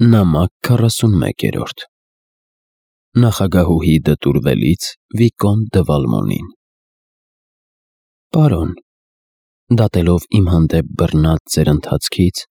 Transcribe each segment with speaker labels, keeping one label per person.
Speaker 1: Նամակ 41-րդ Նախագահուհի դտուրվելից Վիկոնտ դը Վալմոնին։ Պարոն, դատելով իմ հանդեպ բռնած ձեր ընթացքից,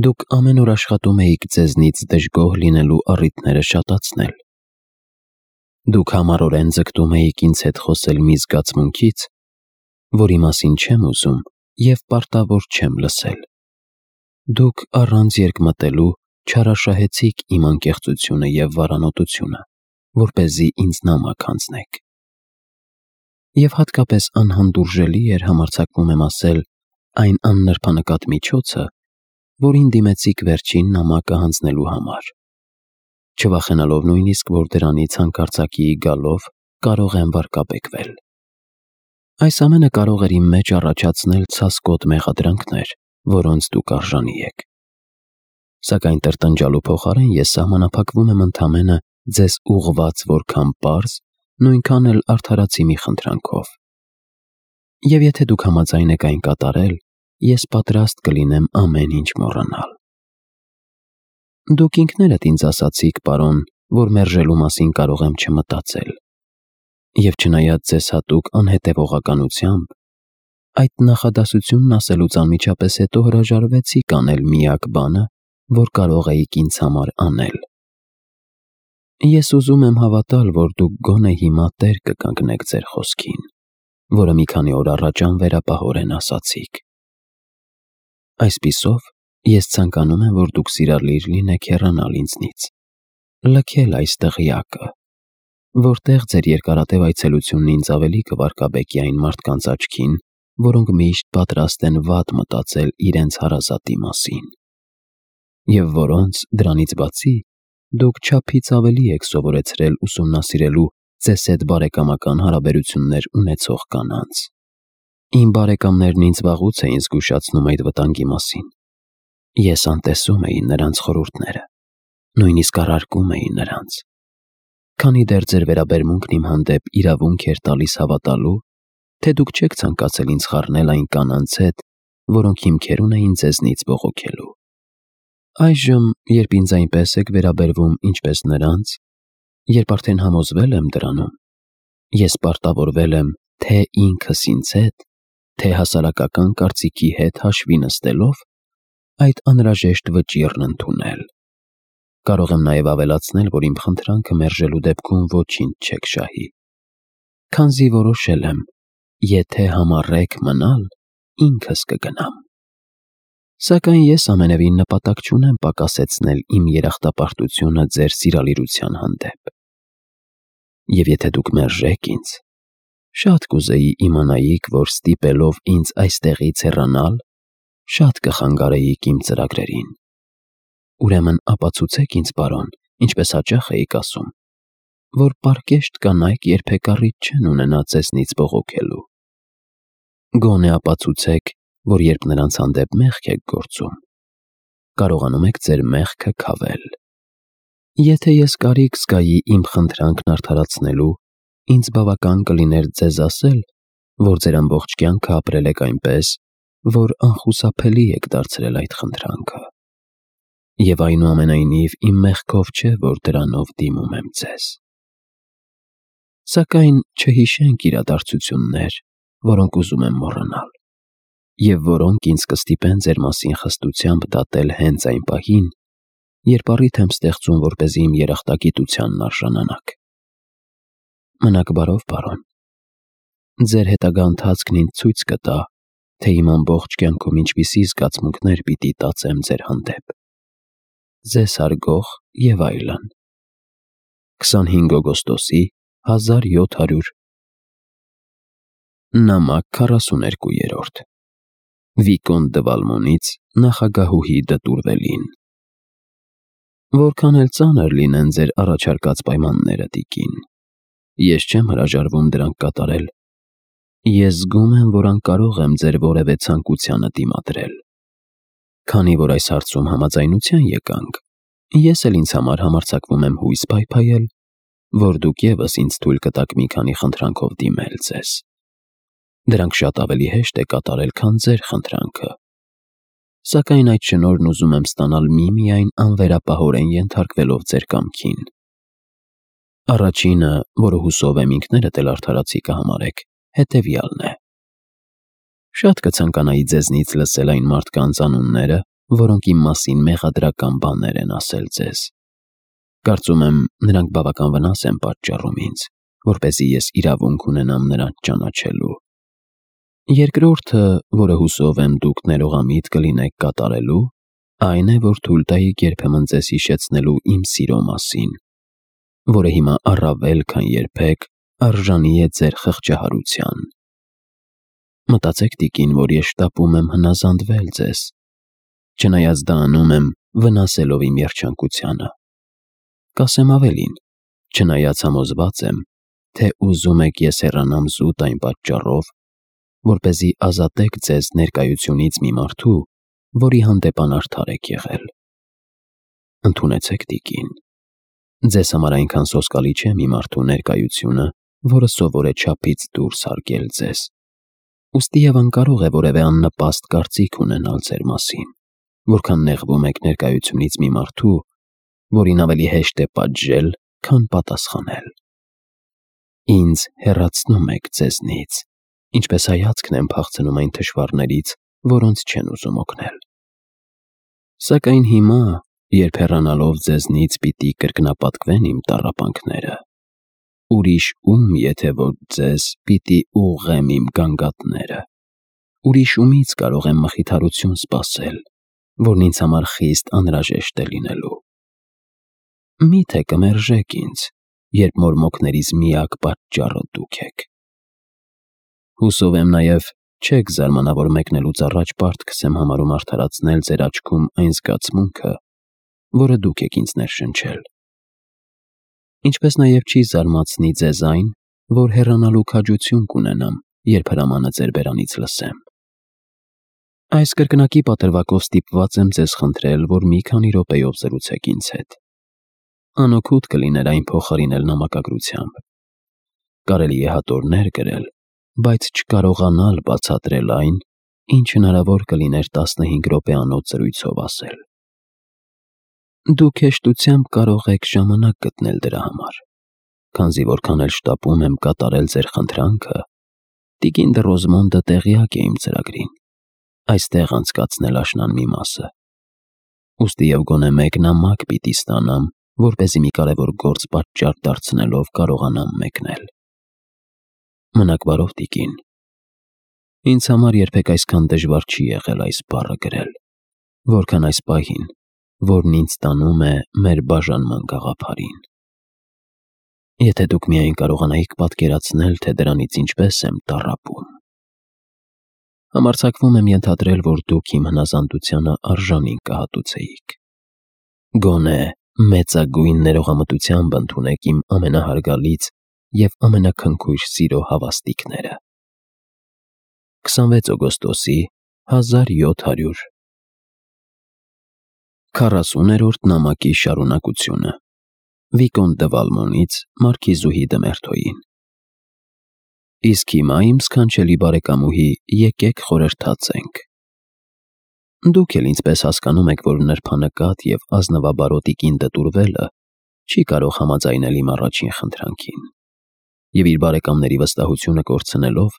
Speaker 1: դուք ամեն օր աշխատում էիք ձեզնից դժգոհ լինելու առիթները շատացնել։ Դուք համառորեն ձգտում էիք ինձ հետ խոսել մի զգացմունքից, որի մասին չեմ ուզում և պարտավոր չեմ լսել։ Դուք առանց երկմտելու չարաշահեցիք իմ անկեղծությունը և վարանոտությունը, որպեսզի ինձ նամակ հանձնեք։ Եվ հատկապես անհանդուրժելի էր, համարձակվում եմ ասել, այն աննրբանկատ միջոցը, որին դիմեցիք վերջին նամակը հանձնելու համար, չվախենալով նույնիսկ, որ դրանից հանկարծակիի գալով կարող եմ վարկաբեկվել։ Այս ամենը կարող էր իմ մեջ առաջացնել ցասկոտ մեղադրանքներ, որոնց դուք արժանի եք։ Սակայն տրտնջալու փոխարեն ես սահմանափակվում եմ ընդամենը ձեզ ուղղված որքան պարզ, նույնքան էլ արդարացի մի խնդրանքով։ Եվ եթե դուք համաձայն եք այն կատարել, ես պատրաստ կլինեմ ամեն ինչ մոռանալ։ Դուք ինքներդ ինձ ասացիք, պարոն, որ մերժելու մասին կարող եմ չմտածել։ Եվ չնայած ձեզ հատուկ անհետևողականությամբ, այդ նախադասությունն ասելուց անմիջապես հետո հրաժարվեցիք անել միակ բանը, որ կարող էիք ինձ համար անել։ Ես ուզում եմ հավատալ, որ դուք գոնե հիմա տեր կկանգնեք ձեր խոսքին, որը մի քանի օր առաջ անվերապահորեն ասացիք։ Այսպիսով, ես ցանկանում եմ, որ դուք սիրալիր լինեք հեռանալ ինձնից, լքել այս դղյակը, որտեղ ձեր երկարատև այցելությունն ինձ ավելի կվարկաբեկի այն մարդկանց աչքին, որոնք միշտ պատրաստ են վատ մտածել իրենց հարազատի մասին, և որոնց, դրանից բացի, դուք չափից ավելի եք սովորեցրել ուսումնասիրելու ձեզ հետ բարեկամական հարաբերություններ ունեցող կանանց։ Իմ բարեկամներն ինձ վաղուց էին զգուշացնում այդ վտանգի մասին։ Ես անտեսում էի նրանց խորհուրդները, նույնիսկ առարկում էի նրանց։ Քանի դեռ ձեր վերաբերմունքն իմ հանդեպ իրավունք էր տալիս հավատալու, թե դուք չեք ցանկացել ինձ խառնել այն կանանց հետ, որոնք հիմքեր ունեին ձեզնից բողոքելու։ Այժմ, երբ ինձ այնպես եք վերաբերվում, ինչպես նրանց, երբ արդեն համոզվել եմ դրանում, ես պարտավորվել եմ թե ինքս ինձ հետ, թե հասարակական կարծիքի հետ հաշվի նստելով, այդ անհրաժեշտ վճիռն ընդունել։ Կարող եմ նաև ավելացնել, որ իմ խնդրանքը մերժելու դեպքում ոչինչ չեք շահի, քանզի որոշել եմ, եթե համառեք մնալ, ինքս կգնամ։ Սակայն ես ամենևին նպատակ չունեմ պակասեցնել իմ երախտապարտությունը ձեր սիրալիրության հանդեպ։ Եվ եթե դուք մերժեք ինձ, շատ կուզեի իմանայիք, որ ստիպելով ինձ այստեղից հեռանալ, շատ կխանգարեիք իմ ծրագրերին։ Ուրեմն ապացուցեք ինձ, պարոն, ինչպես հաճախ էիք ասում, որ պարկեշտ կանայք երբեք առիթ չեն ունենա ձեզնից բողոքելու։ Գոնե ապացուցեք, որ երբ նրանց հանդեպ մեղք եք գործում, կարողանում եք ձեր մեղքը քավել։ Եթե ես կարիք զգայի իմ խնդրանքն արդարացնելու, ինձ բավական կլիներ ձեզ ասել, որ ձեր ամբողջ կյանքը ապրել եք այնպես, որ անխուսափելի եք դարձրել այդ խնդրանքը։ Եվ այնուամենայնիվ իմ մեղքով չէ, որ դրանով դիմում եմ ձեզ։ Սակայն չհիշենք իրադարձություններ, որոնք ուզում եմ մոռանալ, և որոնք ինձ կստիպեն ձեր մասին խստությամբ դատել հենց այն պահին, երբ առիթ եմ ստեղծում, որպեսզի իմ երախտագիտությանն արժանանաք։ Մնաք բարով, պարոն։ Ձեր հետագա ընթացքն ինձ ցույց կտա, թե իմ ամբողջ կյանքում ինչպիսի զգացմունքներ պիտի տածեմ ձեր հանդեպ։ Ձեզ հարգող և այլն։ 25 օգոստոսի 1700 Նամակ 42-րդ Վիկոնտ դը Վալմոնից նախագահուհի դտուրվելին։ Որքան էլ ծանր լինեն ձեր առաջարկած պայմանները, տիկին, ես չեմ հրաժարվում դրանք կատարել։ Ես զգում եմ, որ անկարող եմ ձեր որևէ ցանկությանը դիմադրել։ Քանի որ այս հարցում համաձայնության եկանք, ես էլ ինձ համար համարձակվում եմ հույս փայփայել, որ դուք ևս ինձ թույլ կտաք մի քանի խնդրանքով դիմել ձեզ։ Դրանք շատ ավելի հեշտ է կատարել, քան ձեր խնդրանքը։ Սակայն այդ շնորհն ուզում եմ ստանալ միմիայն անվերապահորեն ենթարկվելով ձեր կամքին։ Առաջինը, որը հուսով եմ ինքներդ էլ արդարացի կհամարեք, հետևյալն է. շատ կցանկանայի ձեզնից լսել այն մարդկանց անունները, որոնք իմ մասին մեղադրական բաներ են ասել ձեզ։ Կարծում եմ, նրանք բավական վնաս են պատճառում ինձ, որպեսզի ես իրավունք ունենամ նրանց ճանաչելու։ Երկրորդը, որը հուսով եմ դուք ներողամիտ կլինեք կատարելու, այն է, որ թույլ տայիք երբեմն ձեզ հիշեցնելու իմ սիրո մասին, որը հիմա առավել քան երբեք արժանի է ձեր խղճահարության։ Մտածեք, տիկին, որ ես շտապում եմ հնազանդվել ձեզ, չնայած դա անում եմ վնասելով իմ երջանկությանը։ Կասեմ ավելին, չնայած համոզված եմ, թե ուզում եք ես հեռանամ զուտ այն պատճառով, որպեսզի ազատեք ձեզ ներկայությունից մի մարդու, որի հանդեպ անարդար եք եղել։ Ընդունեցեք, տիկին, ձեզ համար այնքան սոսկալի չէ մի մարդու ներկայությունը, որը սովոր է չափից դուրս հարգել ձեզ։ Ուստի եւ անկարող է որևէ աննպաստ կարծիք ունենալ ձեր մասին, որքան նեղվում եք ներկայությունից մի մարդու, որին ավելի հեշտ է պատժել, քան պատասխանել։ Ինձ հեռացնում եք ձեզնից, ինչպես հայացքն եմ փախցնում այն թշվառներից, որոնց չեն ուզում օգնել։ Սակայն հիմա, երբ հեռանալով ձեզնից պիտի կրկնապատկվեն իմ տառապանքները, ուրիշ ում, եթե որ ձեզ պիտի ուղղեմ իմ գանգատները, ուրիշ ումից կարող եմ մխիթարություն սպասել, որն ինձ համար խիստ անհրաժեշտ է լինելու։ Միթե կմերժեք ինձ, երբ մորմոքներիս միակ պատճառը դուք եք։ Հուսով եմ նաև չեք զարմանա, որ մեկնելուց առաջ պարտքս եմ համարում արդարացնել ձեր աչքում այն զգացմունքը, որը դուք եք ինձ ներշնչել։ Ինչպես նաև չի զարմացնի ձեզ այն, որ հեռանալու քաջություն կունենամ, երբ հրամանը ձեր բերանից լսեմ։ Այս կրկնակի պատրվակով ստիպված եմ ձեզ խնդրել, որ մի քանի րոպեով զրուցեք ինձ հետ։ Անօգուտ կլիներ այն փոխարինել նամակագրությամբ։ Կարելի է հատորներ գրել, բայց չկարողանալ բացատրել այն, ինչ հնարավոր կլիներ 15 րոպեանոց զրույցով ասել։ Դուք հեշտությամբ կարող եք ժամանակ գտնել դրա համար, քանզի որքան էլ շտապում եմ կատարել ձեր խնդրանքը, տիկին դը Ռոզմոնդը տեղյակ է իմ ծրագրին, այստեղ անցկացնել աշնան մի մասը։ Ուստի և գոնե մեկ նամակ պիտի ստանամ, որպեսզի մի կարևոր գործ պատճառ դարձնելով կարողանամ մեկնել։ Մնաք բարով, տիկին։ Ինձ համար երբեք այսքան դժվար չի եղել այս բառը գրել, որքան այս պահին, որն ինձ տանում է մեր բաժանման գաղափարին։ Եթե դուք միայն կարողանայիք պատկերացնել, թե դրանից ինչպես եմ տառապում։ Համարձակվում եմ ենթադրել, որ դուք իմ հնազանդությանը արժանին կհատուցեիք։ Գոնե մեծագույն ներողամտությամբ ընդունեք իմ ամենահարգալից և ամենաքնքույր սիրո հավաստիքները։ 26 օգոստոսի 1700 40-րդ նամակի շարունակությունը Վիկոն դը Վալմոնից մարքիզուհի դը Մերթոյին։ Իսկ հիմա, իմ սքանչելի բարեկամուհի, եկեք խորհրդացենք։ Դուք էլ ինձպես հասկանում եք, որ նրբանկատ և ազնվաբարոտիկին դտուրվելը չի կարող համաձայնել իմ առաջին խնդրանքին, և իր բարեկամների վստահությունը կորցնելով,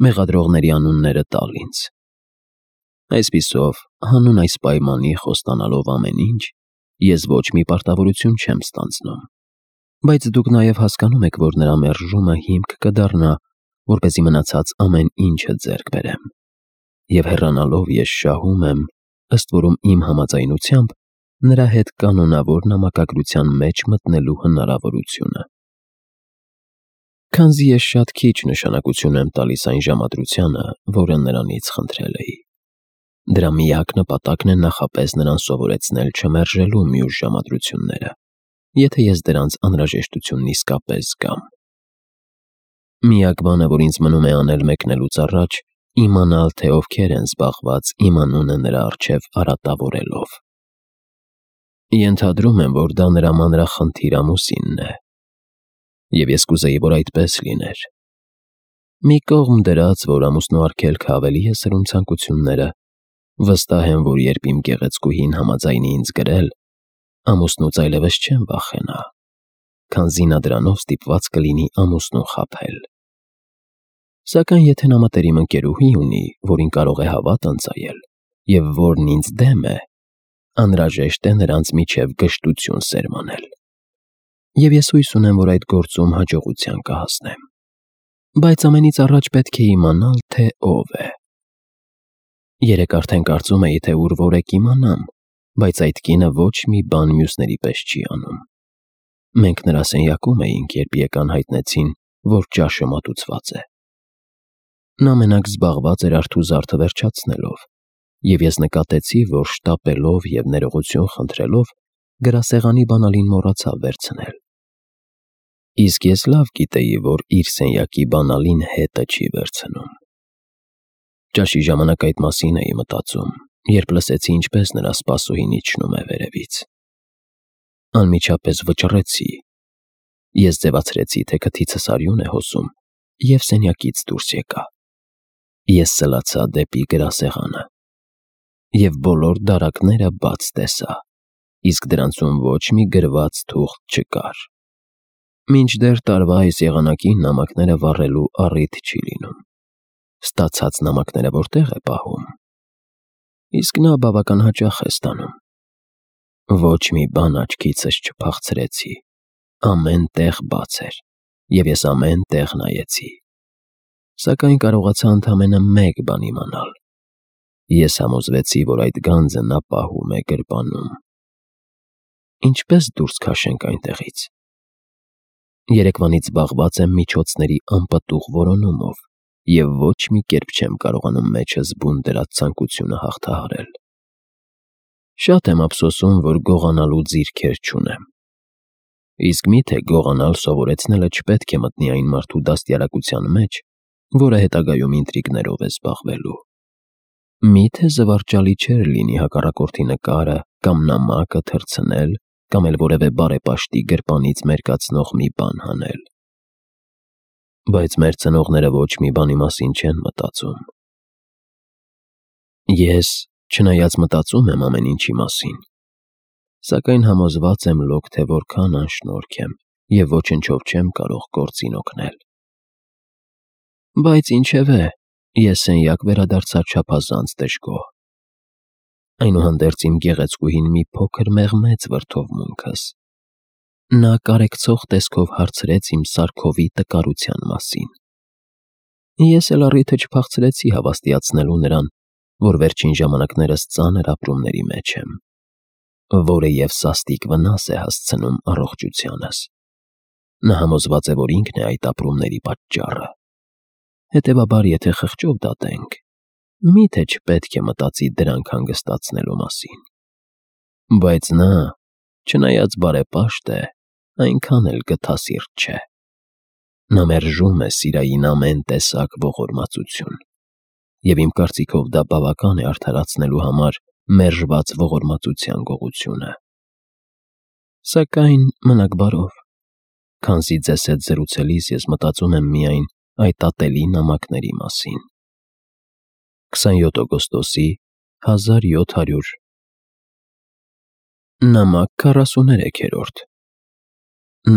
Speaker 1: մեղադրողների անունները տալ ինձ։ Այսպիսով, հանուն այս պայմանի խոստանալով ամեն ինչ, ես ոչ մի պարտավորություն չեմ ստանձնում, բայց դուք նաև հասկանում եք, որ նրա մերժումը հիմք կդառնա, որպեսզի մնացած ամեն ինչը ձեռք բերեմ, և հեռանալով ես շահում եմ, ըստ որում իմ համաձայնությամբ, նրա հետ կանոնավոր նամակագրության մեջ մտնելու հնարավորությունը։ Քանզի ես շատ քիչ նշանակություն եմ տալիս այն ժամադրությանը, որը նրանից խնդրել էի։ Դրա միակ նպատակն է նախապես նրան սովորեցնել չմերժելու մյուս ժամադրությունները, եթե ես դրանց անհրաժեշտությունն իսկապես զգամ։ Միակ բանը, որ ինձ մնում է անել մեկնելուց առաջ, իմանալ, թե ովքեր են զբաղված իմ անունը նրա առջև արատավորելով։ Ենթադրում եմ, որ դա նրա մանրախնդիր ամուսինն է, և ես կուզեի, որ այդպես լիներ։ Մի կողմ դրած, որ ամուսնու արգելքը ավելի է սրում ցանկությունները, Վստահ եմ, որ երբ իմ գեղեցկուհին համաձայնի ինձ գրել, ամուսնուց այլևս չեմ վախենա, քանզի նա դրանով ստիպված կլինի ամուսնուն խաբել։ Սակայն եթե նա մտերիմ ընկերուհի ունի, որին կարող է հավատ ընծայել, և որն ինձ դեմ է, անհրաժեշտ է նրանց միջև գժտություն սերմանել։ Եվ ես հույս ունեմ, որ այդ գործում հաջողության կհասնեմ։ Բայց ամենից առաջ պետք է իմանալ, թե ով է։ Երեկ արդեն կարծում էի, թե ուր որ եք իմանամ, բայց այդ կինը ոչ մի բան մյուսների պես չի անում։ Մենք նրա սենյակում էինք, երբ եկան հայտնեցին, որ ճաշը մատուցված է։ Նա մենակ զբաղված էր արթու զարդը վերջացնելով, և ես նկատեցի, որ շտապելով և ներողություն խնդրելով գրասեղանի բանալին մոռացավ վերցնել։ Իսկ ես լավ գիտեի, որ իր սենյակի բանալին հետը չի վերցնում։ Ճաշի ժամանակ այդ մասին էի մտածում, երբ լսեցի, ինչպես նրա սպասուհին իջնում է վերևից։ Անմիջապես վճռեցի։ Ես ձևացրեցի, թե քթիցս արյուն է հոսում, և սենյակից դուրս եկա։ Ես սլացա դեպի գրասեղանը և բոլոր դարակները բաց տեսա, իսկ դրանցում ոչ մի գրված թուղթ չկար։ Մինչդեռ տարվա այս եղանակին նամակները վառելու առիթ չի լինում։ Ստացած նամակները որտեղ է պահում։ Իսկ նա բավական հաճախ է ստանում։ Ոչ մի բան աչքիցս չփախցրեցի։ Ամեն տեղ բաց էր, և ես ամեն տեղ նայեցի։ Սակայն կարողացա ընդամենը մեկ բան իմանալ։ Ես համոզվեցի, որ այդ գանձը նա պահում է գրպանում։ Ինչպե՞ս դուրս քաշենք այնտեղից։ Երեկվանից զբաղված եմ միջոցների անպտուղ որոնումով և ոչ մի կերպ չեմ կարողանում մեջս բուն դրած ցանկությունը հաղթահարել։ Շատ եմ ափսոսում, որ գողանալու ձիրքեր չունեմ։ Իսկ միթե գողանալ սովորեցնելը չպետք է մտնի այն մարդու դաստիարակության մեջ, որը հետագայում ինտրիգներով է զբաղվելու։ Միթե զվարճալի չէր լինի հակառակորդի նկարը կամ նամակը թռցնել կամ էլ որևէ բարեպաշտի գրպանից մերկացնող մի բան հանել։ Բայց մեր ծնողները ոչ մի բանի մասին չեն մտածում։ Ես, չնայած մտածում եմ ամեն ինչի մասին, սակայն համոզված եմ լոկ, թե որքան անշնորհք եմ և ոչնչով չեմ կարող գործին օգնել։ Բայց ինչևէ, ես սենյակ վերադարձա չափազանց դժգոհ։ Այնուհանդերձ իմ գեղեցկուհին մի փոքր մեղմեց վրդովմունքս։ Նա կարեկցող տեսքով հարցրեց իմ սարքովի տկարության մասին։ Ես էլ առիթը չփախցրեցի հավաստիացնելու նրան, որ վերջին ժամանակներս ծանր ապրումների մեջ եմ, որը և սաստիկ վնաս է հասցնում առողջությանս։ Նա համոզված է, որ ինքն է այդ ապրումների պատճառը։ Հետևաբար, եթե խղճով դատենք, միթե չպետք է մտածի դրանք հանգստացնելու մասին։ Բայց նա, չնայած բարեպաշտ է, այնքան էլ գթասիրտ չէ։ Նա մերժում է սիրային ամեն տեսակ ողորմածություն, և իմ կարծիքով դա բավական է արդարացնելու համար մերժված ողորմածության գողությունը։ Սակայն մնաք բարով, քանզի ձեզ հետ զրուցելիս ես մտածում եմ միայն այդ ատելի նամակների մասին։ 27 օգոստոսի 1700 Նամակ 43-րդ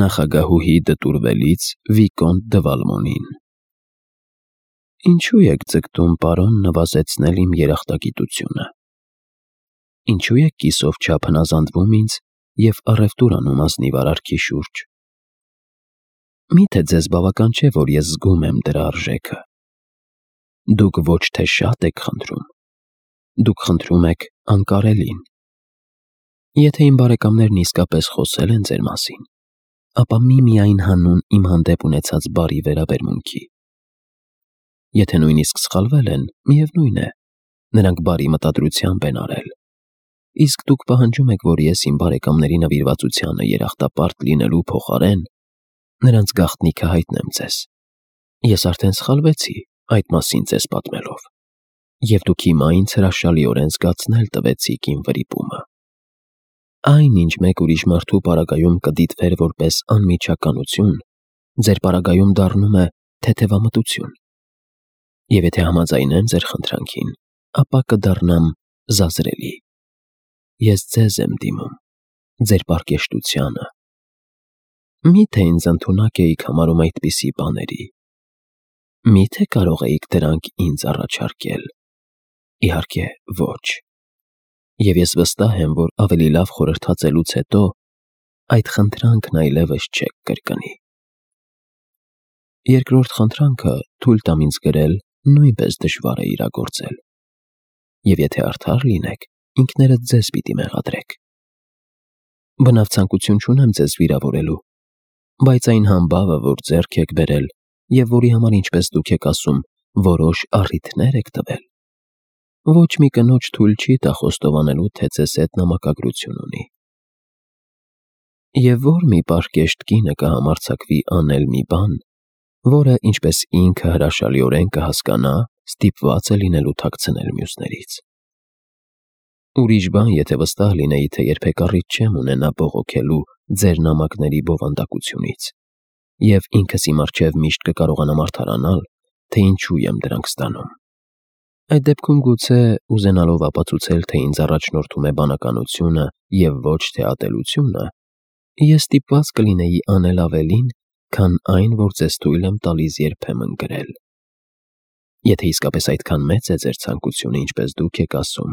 Speaker 1: Նախագահուհի դտուրվելից Վիկոնտ դը Վալմոնին։ Ինչու եք ձգտում, պարոն, նվազեցնել իմ երախտագիտությունը։ Ինչու եք կիսով չափ հնազանդվում ինձ և առևտուր անում ազնիվ արարքի շուրջ։ Միթե ձեզ բավական չէ, որ ես զգում եմ դրա արժեքը։ Դուք ոչ թե շատ եք խնդրում, դուք խնդրում եք անկարելին։ Եթե իմ բարեկամներն իսկապես խոսել են ձեր մասին, ապա միմիայն հանուն իմ հանդեպ ունեցած բարի վերաբերմունքի։ Եթե նույնիսկ սխալվել են, միևնույն է, նրանք բարի մտադրությամբ են արել։ Իսկ դուք պահանջում եք, որ ես իմ բարեկամների նվիրվածությանը երախտապարտ լինելու փոխարեն նրանց գաղտնիքը հայտնեմ ձեզ։ Ես արդեն սխալվեցի այդ մասին ձեզ պատմելով, և դուք հիմա ինձ հրաշալիորեն զգացնել տվեցիք իմ վրիպումը։ Այն, ինչ մեկ ուրիշ մարդու պարագայում կդիտվեր որպես անմիջականություն, ձեր պարագայում դառնում է թեթևամտություն։ Եվ եթե համաձայնեմ ձեր խնդրանքին, ապա կդառնամ զազրելի։ Ես ձեզ եմ դիմում, ձեր պարկեշտությանը։ Միթե ինձ ընդունակ էիք համարում այդպիսի բաների։ Միթե կարող էիք դրանք ինձ առաջարկել։ Իհարկե ոչ։ Եվ ես վստահ եմ, որ ավելի լավ խորհրդածելուց հետո այդ խնդրանքն այլևս չեք կրկնի։ Երկրորդ խնդրանքը թույլ տամ ինձ գրել նույնպես դժվար է իրագործել։ Եվ եթե արդար լինեք, ինքներդ ձեզ պիտի մեղադրեք։ Բնավ ցանկություն չունեմ ձեզ վիրավորելու, բայց այն համբավը, որ ձեռք եք բերել և որի համար, ինչպես դուք եք ասում, որոշ առիթներ եք տվել, ոչ մի կնոջ թույլ չի տա խոստովանելու, թե ձեզ հետ նամակագրություն ունի։ Եվ որ մի պարկեշտ կինը կհամարձակվի անել մի բան, որը, ինչպես ինքը հրաշալիորեն կհասկանա, ստիպված է լինելու թաքցնել մյուսներից։ Ուրիշ բան, եթե վստահ լինեի, թե երբեք առիթ չեմ ունենա բողոքելու ձեր նամակների բովանդակությունից, և ինքս իմ առջև միշտ կկարողանամ արդարանալ, թե ինչու եմ դրանք ստանում։ Այդ դեպքում գուցե, ուզենալով ապացուցել, թե ինձ առաջնորդում է բանականությունը և ոչ թե ատելությունը, ես ստիպված կլինեի անել ավելին, քան այն, որ ձեզ թույլ եմ տալիս երբեմն գրել։ Եթե իսկապես այդքան մեծ է ձեր ցանկությունը, ինչպես դուք եք ասում,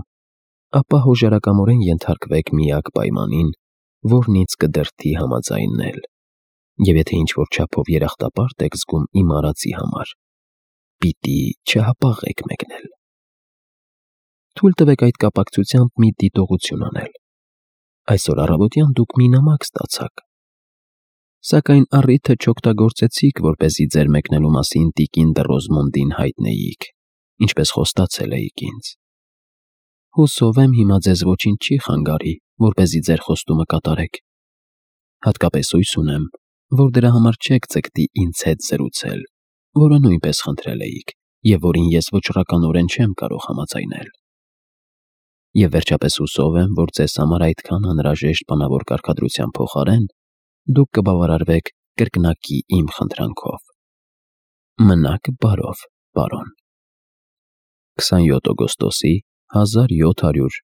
Speaker 1: ապա հոժարակամորեն ենթարկվեք միակ պայմանին, որն ինձ կդրդի համաձայնել, և եթե ինչ-որ չափով երախտապարտ եք զգում իմ արածի համար, պիտի չհապաղեք մեկնել։ Թույլ տվեք այդ կապակցությամբ մի դիտողություն անել։ Այսօր առավոտյան դուք մի նամակ ստացաք, սակայն առիթը չօգտագործեցիք, որպեսզի ձեր մեկնելու մասին տիկին դը Ռոզմոնդին հայտնեիք, ինչպես խոստացել էիք ինձ։ Հուսով եմ հիմա ձեզ ոչինչ չի խանգարի, որպեսզի ձեր խոստումը կատարեք։ Հատկապես հույս ունեմ, որ դրա համար չեք ձգտի ինձ հետ զրուցել, որը նույնպես խնդրել էիք, և որին ես վճռականորեն չեմ կարող համաձայնել։ Եվ վերջապես հուսով եմ, որ ձեզ համար այդքան անհրաժեշտ բանավոր կարգադրության փոխարեն դուք կբավարարվեք կրկնակի իմ խնդրանքով։ Մնաք բարով, պարոն։ 27 օգոստոսի 1700